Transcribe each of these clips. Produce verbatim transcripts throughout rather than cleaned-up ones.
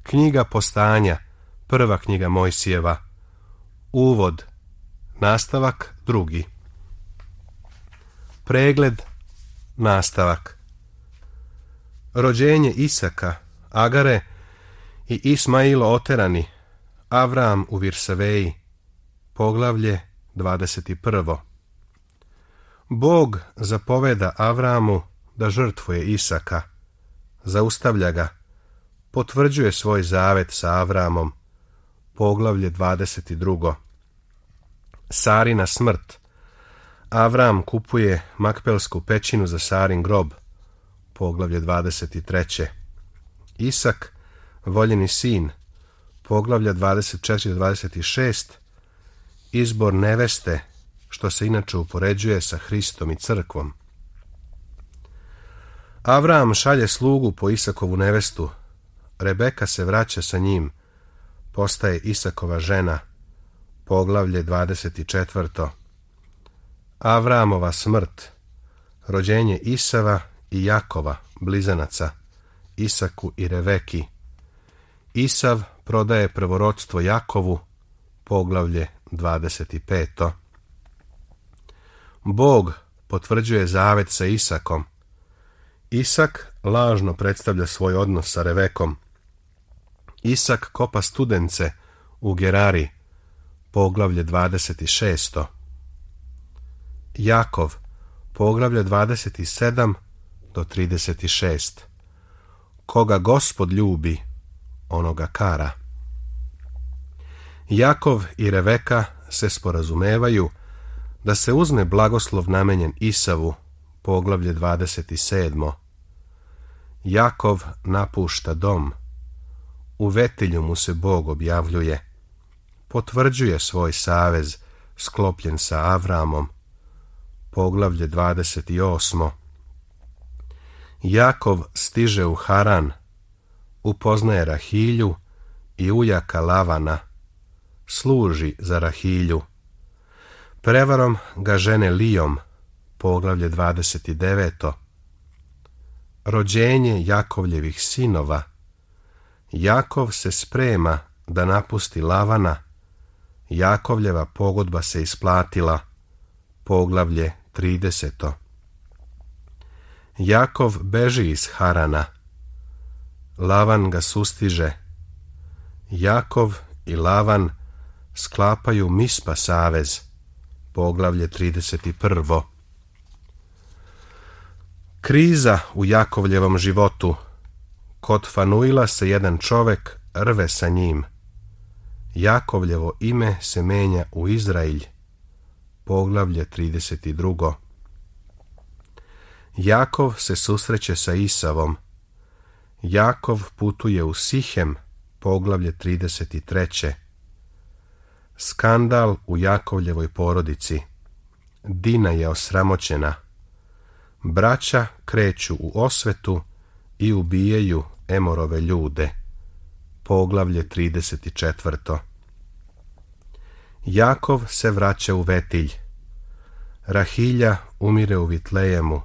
Knjiga Postanja, prva knjiga Mojsijeva. Uvod, nastavak drugi. Pregled, nastavak. Rođenje Isaka, Agare i Ismailo oterani, Avram u Virsaveji, poglavlje dvadeset prvo. Bog zapoveda Avramu da žrtvuje Isaka, zaustavlja ga, potvrđuje svoj zavet sa Avramom, poglavlje dvadeset drugo. Sarina smrt, Avram kupuje Makpelsku pećinu za Sarin grob, poglavlje dvadeset treće. Isak, voljeni sin, poglavlja dvadeset četiri do dvadeset šest. Izbor neveste, što se inače upoređuje sa Hristom i crkvom. Avram šalje slugu po Isakovu nevestu, Rebeka se vraća sa njim, postaje Isakova žena, poglavlje dvadeset četvrto. Avramova smrt, rođenje Isava i Jakova, blizanaca, Isaku i Reveki. Isav prodaje prvorodstvo Jakovu, poglavlje dvadeset peto. Bog potvrđuje zavet sa Isakom. Isak lažno predstavlja svoj odnos sa Revekom. Isak kopa studence u Gerari, poglavlje dvadeset šesto. Jakov, poglavlje dvadeset sedam do trideset šest. Koga Gospod ljubi, onoga kara. Jakov i Reveka se sporazumevaju da se uzme blagoslov namenjen Isavu, poglavlje dvadeset sedmo. Jakov napušta dom. U Vetilju mu se Bog objavljuje. Potvrđuje svoj savez sklopljen sa Avramom, poglavlje dvadeset osmo. Jakov stiže u Haran, upoznaje Rahilju i ujaka Lavana, služi za Rahilju. Prevarom ga žene Lijom, poglavlje dvadeset deveto. Rođenje Jakovljevih sinova. Jakov se sprema da napusti Lavana, Jakovljeva pogodba se isplatila, poglavlje trideseto. Jakov beži iz Harana, Lavan ga sustiže. Jakov i Lavan sklapaju Mispa savez, poglavlje trideset prvo. Kriza u Jakovljevom životu. Kod Fanuila se jedan čovek rve sa njim. Jakovljevo ime se menja u Izrailj, poglavlje trideset drugo. Jakov se susreće sa Isavom. Jakov putuje u Sihem, poglavlje trideset treće. Skandal u Jakovljevoj porodici. Dina je osramoćena. Braća kreću u osvetu i ubijaju Emorove ljude, poglavlje trideset četvrto. Jakov se vraća u Vetilj. Rahilja umire u Vitlejemu.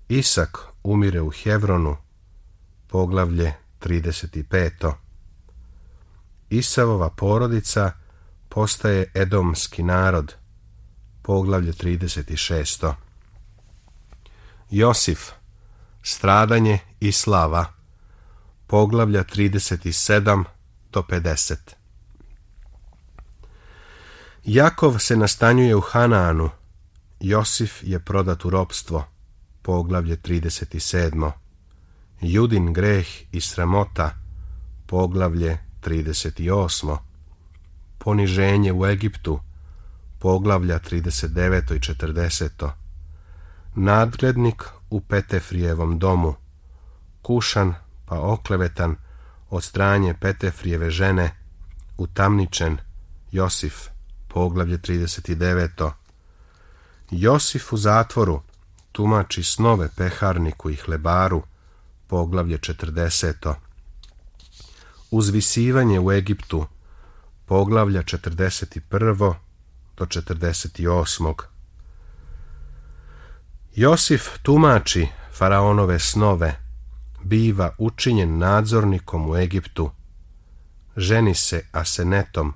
Isak umire u Hevronu, poglavlje trideset peto. Isavova porodica postaje edomski narod, poglavlje trideset šesto. Josif, stradanje i slava, poglavlja trideset sedam do pedeset. Jakov se nastanjuje u Hanaanu, Josif je prodat u ropstvo, poglavlje trideset sedmo. Judin greh i sramota, poglavlje trideset osmo. Poniženje u Egiptu, poglavlja trideset deveto i četrdeseto. Nadglednik u Petefrijevom domu, kušan pa oklevetan od strane Petefrijeve žene, utamničen, Josif, poglavlje trideset deveto. Josif u zatvoru, tumači snove peharniku i hlebaru, poglavlje četrdeseto. Uzvisivanje u Egiptu, poglavlja četrdeset prvo do četrdeset osmo. Josif tumači faraonove snove, biva učinjen nadzornikom u Egiptu, ženi se Asenetom,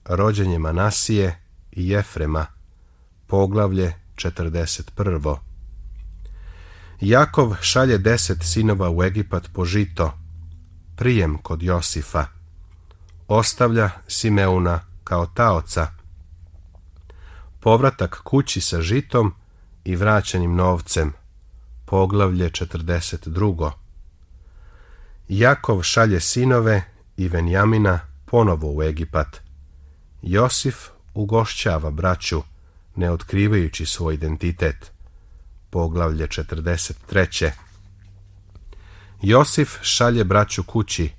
rođenje Manasije i Jefrema, poglavlje četrdeset prvo. Jakov šalje deset sinova u Egipat po žito, prijem kod Josifa, ostavlja Simeuna kao taoca, povratak kući sa žitom i vraćenim novcem, poglavlje četrdeset drugo. Jakov šalje sinove i Venjamina ponovo u Egipat. Josif ugošćava braću, ne otkrivajući svoj identitet, poglavlje četrdeset treće. Josif šalje braću kući,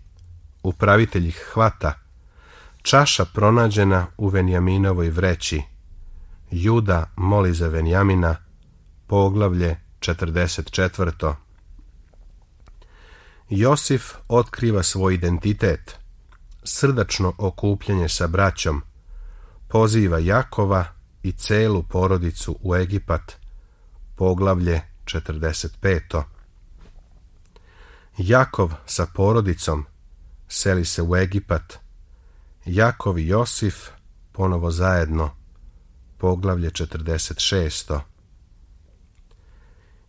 upravitelj ih hvata, čaša pronađena u Venjaminovoj vreći. Juda moli za Venjamina, poglavlje četrdeset četvrto. Josif otkriva svoj identitet, srdačno okupljanje sa braćom, poziva Jakova i celu porodicu u Egipat, poglavlje četrdeset peto. Jakov sa porodicom seli se u Egipat, Jakov i Josif ponovo zajedno, poglavlje četrdeset šesto.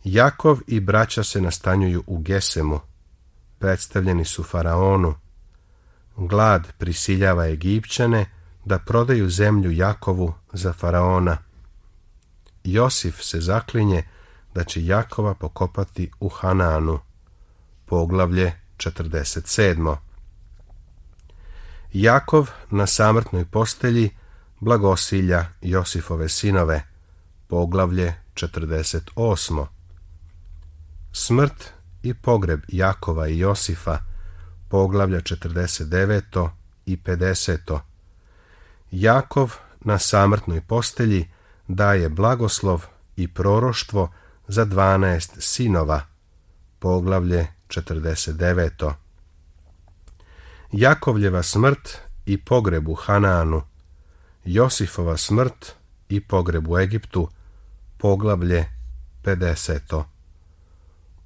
Jakov i braća se nastanjuju u Gesemu, predstavljeni su faraonu. Glad prisiljava Egipćane da prodaju zemlju Jakovu za faraona. Josif se zaklinje da će Jakova pokopati u Hanaanu, poglavlje četrdeset sedmo. Jakov na samrtnoj postelji blagosilja Josifove sinove, poglavlje četrdeset osmo. Smrt i pogreb Jakova i Josifa, poglavlja četrdeset deveto i pedeseto. Jakov na samrtnoj postelji daje blagoslov i proroštvo za dvanaest sinova, poglavlje četrdeset deveto. Jakovljeva smrt i pogreb u Hanaanu, Josifova smrt i pogreb u Egiptu, poglavlje pedeseto.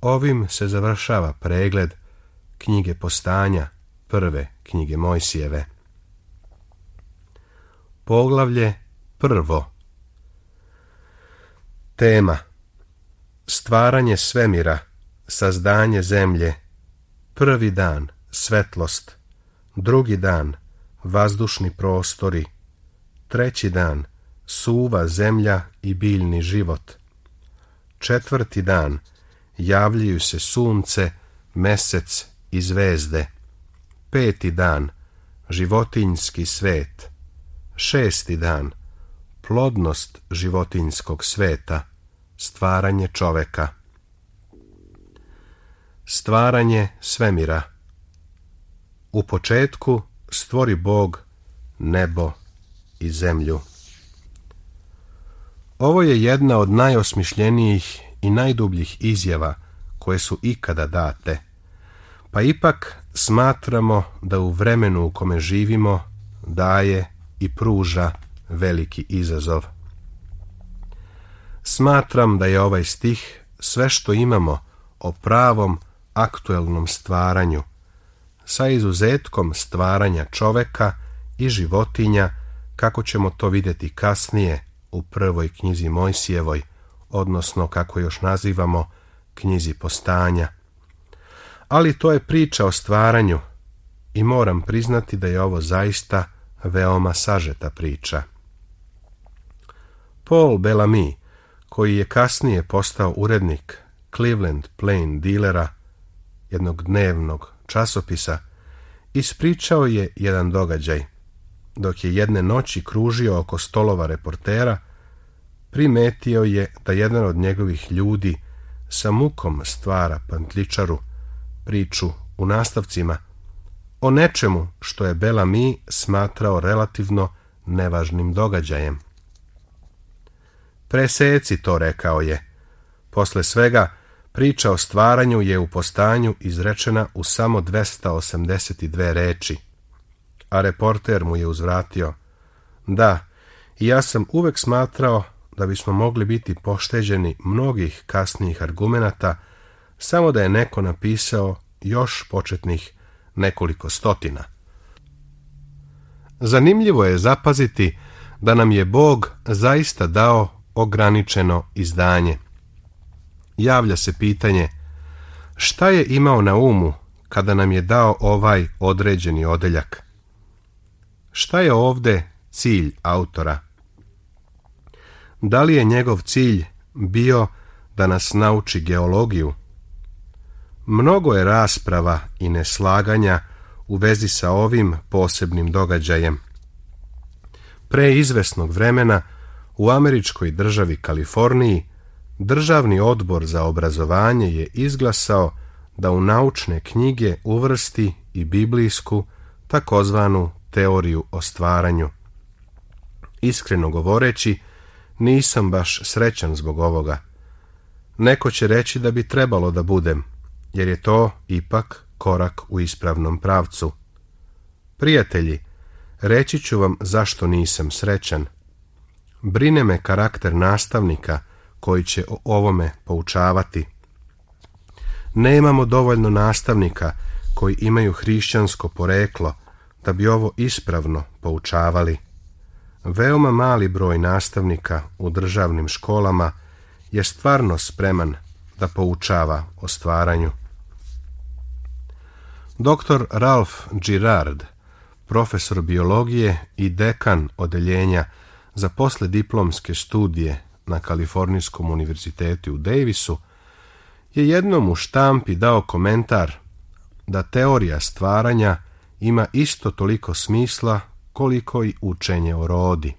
Ovim se završava pregled knjige Postanja, prve knjige Mojsijeve. Poglavlje prvo. Tema: stvaranje svemira, sazdanje zemlje, prvi dan, svetlost, drugi dan, vazdušni prostori, treći dan, suva zemlja i biljni život, četvrti dan, javljaju se sunce, mesec i zvezde, peti dan, životinjski svet, šesti dan, plodnost životinjskog sveta, stvaranje čoveka. Stvaranje svemira. U početku stvori Bog nebo i zemlju. Ovo je jedna od najosmišljenijih i najdubljih izjava koje su ikada date, pa ipak smatramo da u vremenu u kome živimo daje i pruža veliki izazov. Smatram da je ovaj stih sve što imamo o pravom aktuelnom stvaranju, sa izuzetkom stvaranja čoveka i životinja, kako ćemo to vidjeti kasnije u prvoj knjizi Mojsijevoj, odnosno kako još nazivamo knjizi Postanja. Ali to je priča o stvaranju i moram priznati da je ovo zaista veoma sažeta priča. Paul Bellamy, koji je kasnije postao urednik Cleveland Plain Dealera, jednog dnevnog časopisa, ispričao je jedan događaj. Dok je jedne noći kružio oko stolova reportera, primetio je da jedan od njegovih ljudi sa mukom stvara pantličaru, priču u nastavcima, o nečemu što je Bellamy smatrao relativno nevažnim događajem. Preseci to, rekao je. Posle svega, priča o stvaranju je u Postanju izrečena u samo dvesta osamdeset dve reči. A reporter mu je uzvratio: da, i ja sam uvek smatrao da bismo mogli biti pošteđeni mnogih kasnijih argumenata samo da je neko napisao još početnih nekoliko stotina. Zanimljivo je zapaziti da nam je Bog zaista dao ograničeno izdanje. Javlja se pitanje, šta je imao na umu kada nam je dao ovaj određeni odeljak? Šta je ovdje cilj autora? Da li je njegov cilj bio da nas nauči geologiju? Mnogo je rasprava i neslaganja u vezi sa ovim posebnim događajem. Pre izvesnog vremena u američkoj državi Kaliforniji Državni odbor za obrazovanje je izglasao da u naučne knjige uvrsti i biblijsku takozvanu teoriju o stvaranju. Iskreno govoreći, nisam baš srećan zbog ovoga. Neko će reći da bi trebalo da budem, jer je to ipak korak u ispravnom pravcu. Prijatelji, reći ću vam zašto nisam srećan. Brine me karakter nastavnika koji će o ovome poučavati. Nemamo dovoljno nastavnika koji imaju hrišćansko poreklo da bi ovo ispravno poučavali. Veoma mali broj nastavnika u državnim školama je stvarno spreman da poučava o stvaranju. doktor Ralph Girard, profesor biologije i dekan odeljenja za poslijediplomske studije na Kalifornijskom univerzitetu u Davisu, je jednom u štampi dao komentar da teorija stvaranja ima isto toliko smisla koliko i učenje o rodi.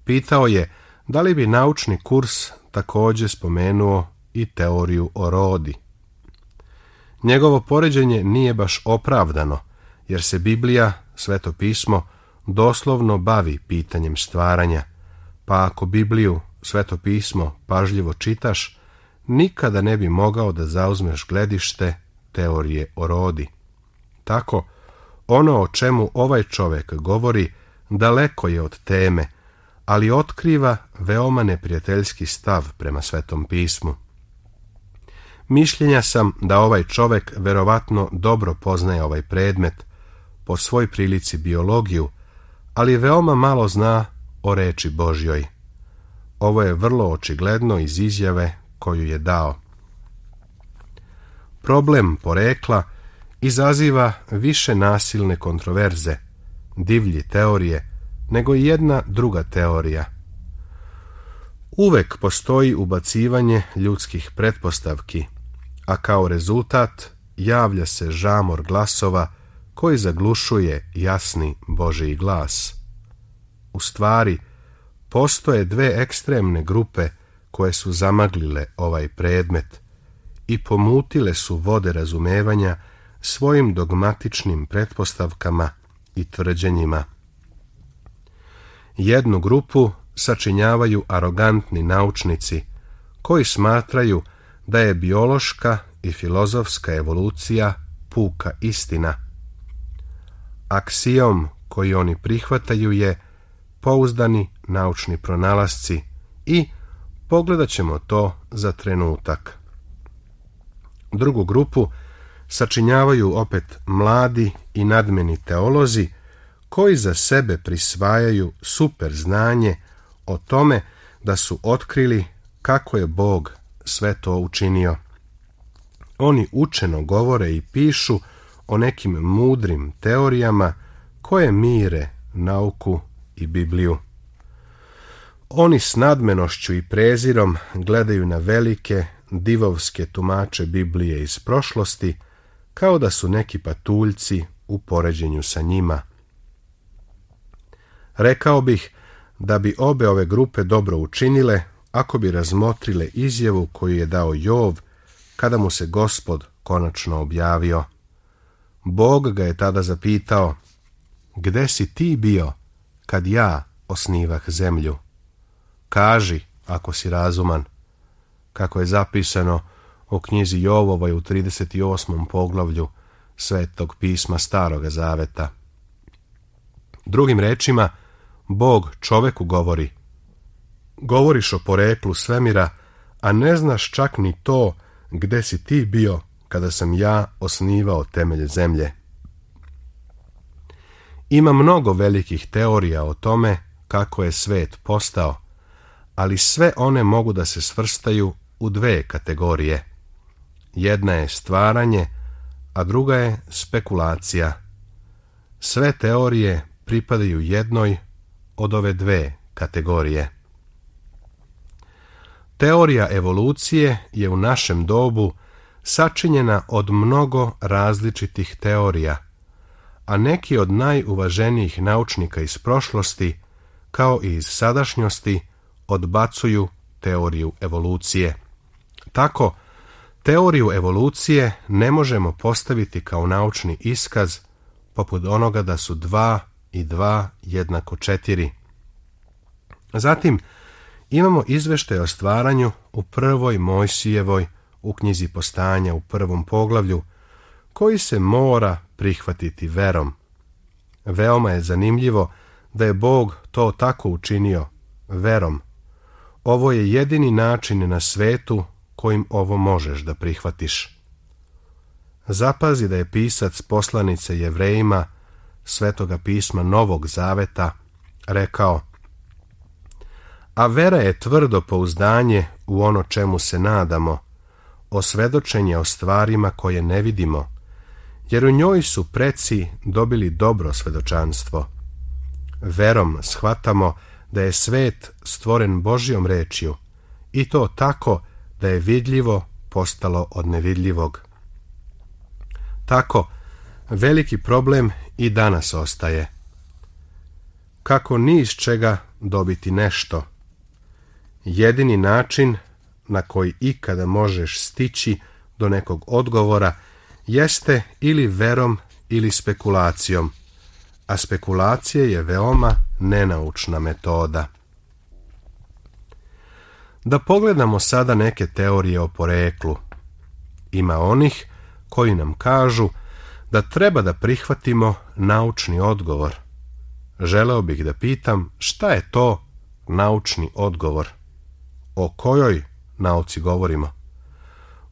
Pitao je da li bi naučni kurs također spomenuo i teoriju o rodi. Njegovo poređenje nije baš opravdano, jer se Biblija, Sveto pismo, doslovno bavi pitanjem stvaranja, pa ako Bibliju, Sveto pismo, pažljivo čitaš, nikada ne bi mogao da zauzmeš gledište teorije o rodi. Tako, ono o čemu ovaj čovjek govori daleko je od teme, ali otkriva veoma neprijateljski stav prema Svetom pismu. Mišljenja sam da ovaj čovjek verovatno dobro poznaje ovaj predmet, po svoj prilici biologiju, ali veoma malo zna o reči Božjoj. Ovo je vrlo očigledno iz izjave koju je dao. Problem porekla izaziva više nasilne kontroverze, divlji teorije, nego i jedna druga teorija. Uvek postoji ubacivanje ljudskih pretpostavki, a kao rezultat javlja se žamor glasova koji zaglušuje jasni Božji glas. U stvari, postoje dve ekstremne grupe koje su zamaglile ovaj predmet i pomutile su vode razumevanja svojim dogmatičnim pretpostavkama i tvrđenjima. Jednu grupu sačinjavaju arogantni naučnici koji smatraju da je biološka i filozofska evolucija puka istina. Aksijom koji oni prihvataju je pouzdani naučni pronalasci i pogledat ćemo to za trenutak. Drugu grupu sačinjavaju opet mladi i nadmeni teolozi koji za sebe prisvajaju super znanje o tome da su otkrili kako je Bog sve to učinio. Oni učeno govore i pišu o nekim mudrim teorijama koje mire nauku i Bibliju. Oni s nadmenošću i prezirom gledaju na velike, divovske tumače Biblije iz prošlosti, kao da su neki patuljci u poređenju sa njima. Rekao bih da bi obe ove grupe dobro učinile ako bi razmotrile izjavu koju je dao Jov kada mu se Gospod konačno objavio. Bog ga je tada zapitao: gde si ti bio kad ja osnivah zemlju? Kaži, ako si razuman, kako je zapisano u knjizi Jovovoj u trideset osmom poglavlju Svetog pisma Staroga zaveta. Drugim rečima, Bog čoveku govori: govoriš o poreklu svemira, a ne znaš čak ni to gde si ti bio kada sam ja osnivao temelje zemlje? Ima mnogo velikih teorija o tome kako je svet postao, ali sve one mogu da se svrstaju u dve kategorije. Jedna je stvaranje, a druga je spekulacija. Sve teorije pripadaju jednoj od ove dve kategorije. Teorija evolucije je u našem dobu sačinjena od mnogo različitih teorija, a neki od najuvaženijih naučnika iz prošlosti, kao i iz sadašnjosti, odbacuju teoriju evolucije. Tako, teoriju evolucije ne možemo postaviti kao naučni iskaz poput onoga da su dva i dva jednako četiri. Zatim, imamo izveštaj o stvaranju u prvoj Mojsijevoj u knjizi Postanja u prvom poglavlju, koji se mora prihvatiti verom. Veoma je zanimljivo da je Bog to tako učinio, verom. Ovo je jedini način na svetu kojim ovo možeš da prihvatiš. Zapazi da je pisac poslanice Jevrejima, Svetoga pisma Novog Zaveta, rekao: a vera je tvrdo pouzdanje u ono čemu se nadamo, osvedočenje o stvarima koje ne vidimo, jer u njoj su preci dobili dobro svedočanstvo. Verom shvatamo da je svet stvoren Božjom rečju, i to tako da je vidljivo postalo od nevidljivog. Tako, veliki problem i danas ostaje. Kako ni iz čega dobiti nešto? Jedini način na koji ikada možeš stići do nekog odgovora jeste ili verom ili spekulacijom, a spekulacija je veoma nenaučna metoda. Da pogledamo sada neke teorije o poreklu. Ima onih koji nam kažu da treba da prihvatimo naučni odgovor. Želeo bih da pitam šta je to naučni odgovor? O kojoj nauci govorimo?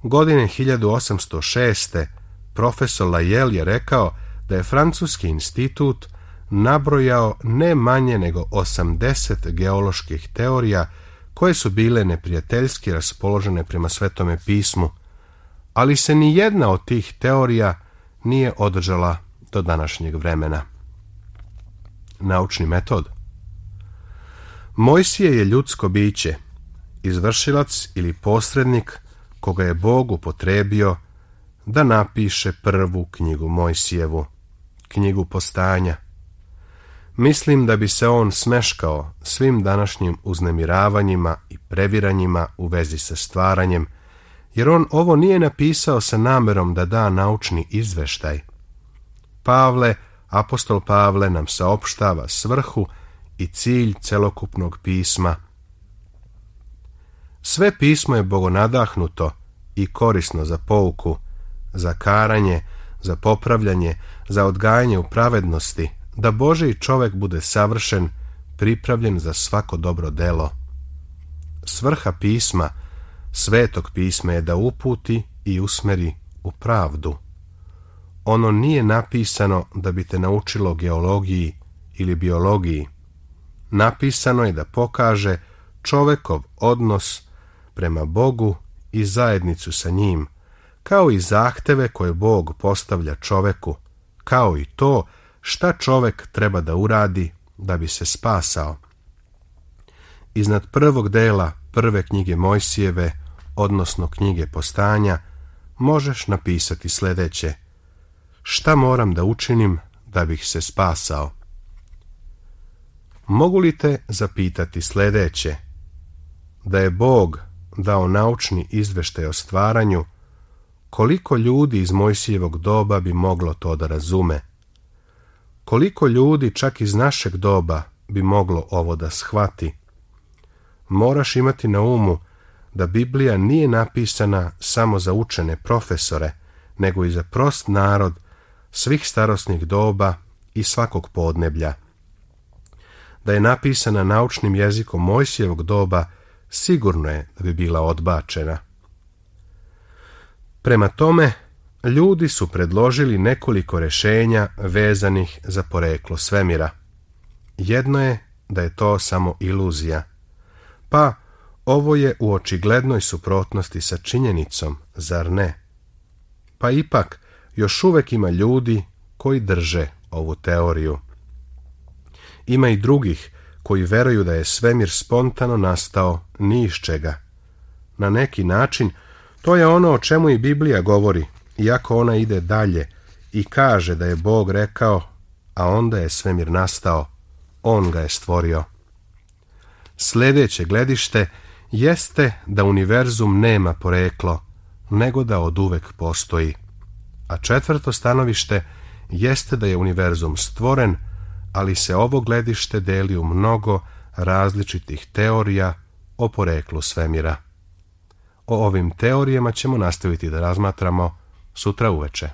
Godine hiljadu osamsto šeste. profesor Lyell je rekao da je Francuski institut nabrojao ne manje nego osamdeset geoloških teorija koje su bile neprijateljski raspoložene prema Svetome pismu, ali se ni jedna od tih teorija nije održala do današnjeg vremena. Naučni metod. Mojsije je ljudsko biće, izvršilac ili posrednik koga je Bog upotrebio da napiše prvu knjigu Mojsijevu, knjigu Postanja. Mislim da bi se on smeškao svim današnjim uznemiravanjima i previranjima u vezi sa stvaranjem, jer on ovo nije napisao sa namerom da da naučni izveštaj. Pavle, apostol Pavle nam saopštava svrhu i cilj celokupnog pisma. Sve pismo je bogonadahnuto i korisno za pouku, za karanje, za popravljanje, za odgajanje u pravednosti, da Božji čovek bude savršen, pripravljen za svako dobro delo. Svrha pisma, Svetog pisma, je da uputi i usmeri u pravdu. Ono nije napisano da bi te naučilo geologiji ili biologiji. Napisano je da pokaže čovekov odnos prema Bogu i zajednicu sa njim, kao i zahteve koje Bog postavlja čoveku, kao i to šta čovek treba da uradi da bi se spasao. Iznad prvog dela prve knjige Mojsijeve, odnosno knjige Postanja, možeš napisati sledeće: šta moram da učinim da bih se spasao? Mogu li te zapitati sledeće? Da je Bog dao naučni izveštaj o stvaranju, koliko ljudi iz Mojsijevog doba bi moglo to da razume? Koliko ljudi čak iz našeg doba bi moglo ovo da shvati? Moraš imati na umu da Biblija nije napisana samo za učene profesore, nego i za prost narod svih starosnih doba i svakog podneblja. Da je napisana naučnim jezikom Mojsijevog doba, sigurno je da bi bila odbačena. Prema tome, ljudi su predložili nekoliko rješenja vezanih za poreklo svemira. Jedno je da je to samo iluzija. Pa, ovo je u očiglednoj suprotnosti sa činjenicom, zar ne? Pa ipak, još uvek ima ljudi koji drže ovu teoriju. Ima i drugih koji veruju da je svemir spontano nastao ni iz čega. Na neki način, to je ono o čemu i Biblija govori, iako ona ide dalje i kaže da je Bog rekao, a onda je svemir nastao, on ga je stvorio. Sljedeće gledište jeste da univerzum nema poreklo, nego da oduvek postoji. A četvrto stanovište jeste da je univerzum stvoren, ali se ovo gledište deli u mnogo različitih teorija o poreklu svemira. O ovim teorijama ćemo nastaviti da razmatramo sutra uveče.